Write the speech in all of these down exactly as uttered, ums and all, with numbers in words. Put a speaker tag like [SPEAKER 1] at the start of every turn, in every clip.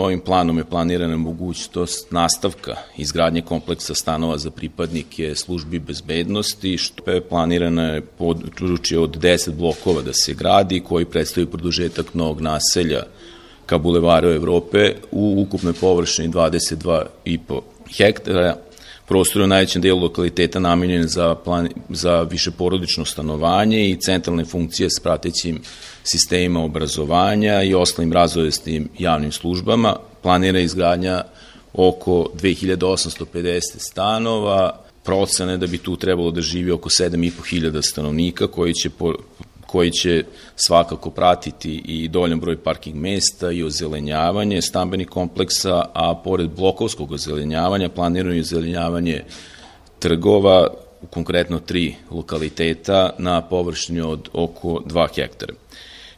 [SPEAKER 1] Ovim planom je planirana mogućnost nastavka izgradnje kompleksa stanova za pripadnike službi bezbednosti, što je planirano područje od deset blokova da se gradi, koji predstavljaju produžetak novog naselja ka bulevaru Evrope u ukupnoj površini dvadeset dva i po hektara. Prostor je u najvećem delu lokaliteta namenjen za, plan, za višeporodično stanovanje i centralne funkcije s pratećim sistemima obrazovanja i ostalim razvojstim javnim službama. Planira izgradnja oko dve hiljade osamsto pedeset stanova, procene da bi tu trebalo da živi oko sedam i po hiljada stanovnika koji će po, koji će svakako pratiti i dovoljan broj parking mesta i ozelenjavanje stambenih kompleksa, a pored blokovskog ozelenjavanja planirano je ozelenjavanje trgova, konkretno tri lokaliteta na površini od oko dva hektara.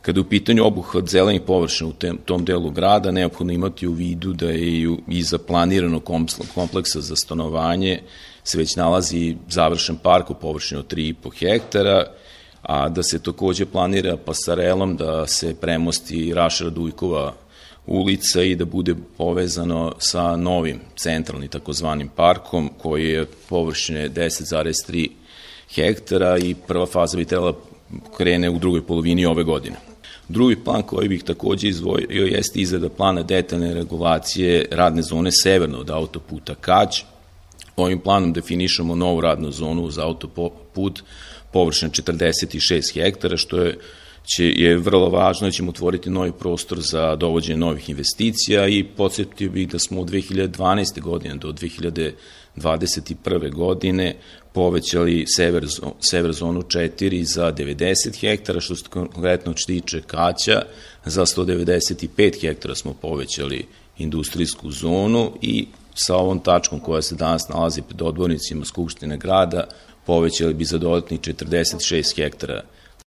[SPEAKER 1] Kada je u pitanju obuhvat zelenih površina u tom delu grada, neophodno imati u vidu da je iza planiranog kompleksa za stanovanje se već nalazi završen park u površini od tri i po hektara, a da se takođe planira pasarelom da se premosti Raša Radujkova ulica i da bude povezano sa novim centralnim takozvanim parkom koji je površine deset zarez tri hektara i prva faza bi trebala krene u drugoj polovini ove godine. Drugi plan koji bih takođe izdvojio jeste izrada plana detaljne regulacije radne zone severno od autoputa Kać. Ovim planom definišemo novu radnu zonu za autoput površine četrdeset šest hektara, što je, će, je vrlo važno, ćemo otvoriti novi prostor za dovođenje novih investicija i podsjetio bih da smo od dve hiljade dvanaeste. godine do dve hiljade dvadeset prve. godine povećali sever, sever zonu četiri za devedeset hektara, što se konkretno tiče Kaća, za sto devedeset pet hektara smo povećali industrijsku zonu i sa ovom tačkom koja se danas nalazi pred odbornicima Skupštine grada povećali bi za dodatnih četrdeset šest hektara